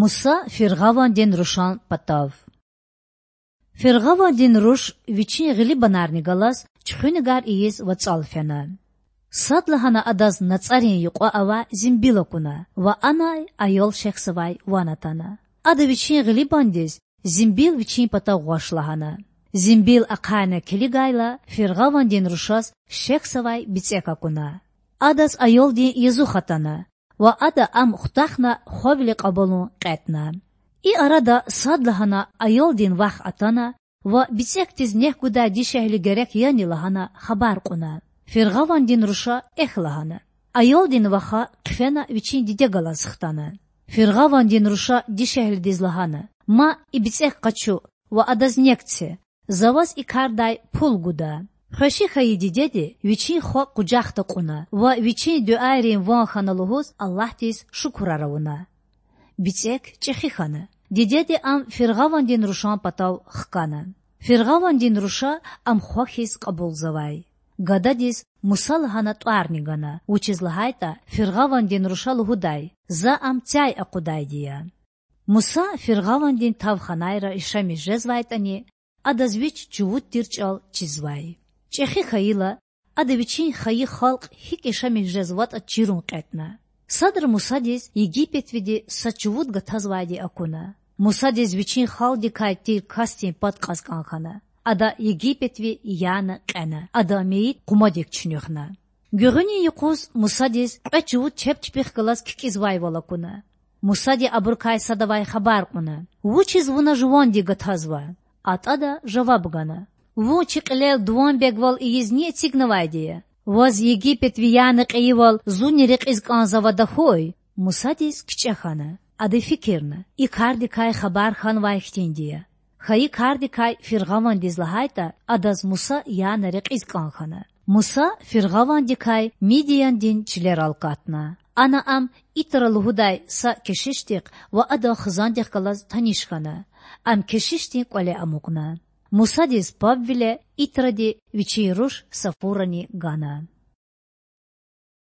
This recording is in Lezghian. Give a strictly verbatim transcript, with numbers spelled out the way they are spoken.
Муса фиргъавандин рушан патав. Фиргъавандин руш вичин гъилибанарни галаз чуьхуьнагар ийиз вацӀал фена. Садлагьана адаз нацӀарин юкьва авай зимбил акуна ва анай аял шехьзавай ван атана. Ада вичин гъилибандиз зимбил вичин патав гъваш лагьана. Зимбил ахъайна килигайла, фиргъавандин рушаз шехьзавай бицӀек акуна. Адаз аялдин язух атана ва ада ам хутахна хвавиле кьабулун кьетӀна. И арада садлагьана аялдин вах атана ва бицӀекдиз нек гудай дишегьли герек яни лагьана хабар кьуна. Фиргъавандин руша эхь лагьана. Аялдин ваха хъфена вичин диде галаз хтана. Фиргъавандин руша дишегьлидиз лагьана: Ма и бицӀек къачу ва адаз нек це. За ваз и кардай пул гуда. Хвеши хьайи дидеди вичин хва къужахда кьуна ва вичин дуьайрин ван хьана лугьуз Аллагьдиз шукурар авуна. БицӀек чӀехи хьана. Дидеди ам фиргъавандин рушан патав хкана. Фиргъавандин руша ам хва хьиз кьабулзавай. Гададиз Муса лагьана тӀварни гана, вучиз лагьайтӀа фиргъавандин руша лугьудай: За ам цяй акъудайди я. Муса фиргъавандин тавханайра яшамиш жезвайтӀани, адаз вич чувуд тир чӀал чизвай. ЧӀехи хьайила, ада вичин хайи халкь гьикӀ яшамиш жезватӀа чирун кьетӀна. Садра Мусадиз Египетвиди са чувуд гатазвайди акуна. Мусадиз вичин халкьдикай тир касдин пад кьаз кӀан хьана. Ада Египетви яна кьена, адан мейит къумадик чуьнуьхна. Гуьгъуьнин юкъуз Мусадиз кьве чувуд чеб чпихъ галаз кикӀизвайвал акуна. Мусади абурукай садавай хабар кьуна: Вучиз вуна жуванди гатазва? АтӀада жаваб гана: Вун чи кьилел дуванбегвал ийиз ни эцигнавайди я? Ваз Египетви яна кьейивал зунни рекьиз кӀанзава тахьуй? Мусадиз кичӀе хьана. Ада фикирна: И кардикай хабар хьанвай хьтинди я. Хайи кардикай фиргъавандиз лагьайтӀа, адаз Муса яна рекьиз кӀан хьана. Муса фиргъавандикай Мидияндин чилерал катна. Ана ам Итра лугьудай са кешишдихъ ва адан хизандихъ галаз таниш хьана. Ам кешишдин кӀвале амукьна. Мусадиз пабвиле Итради вичин руш Сафурани гана.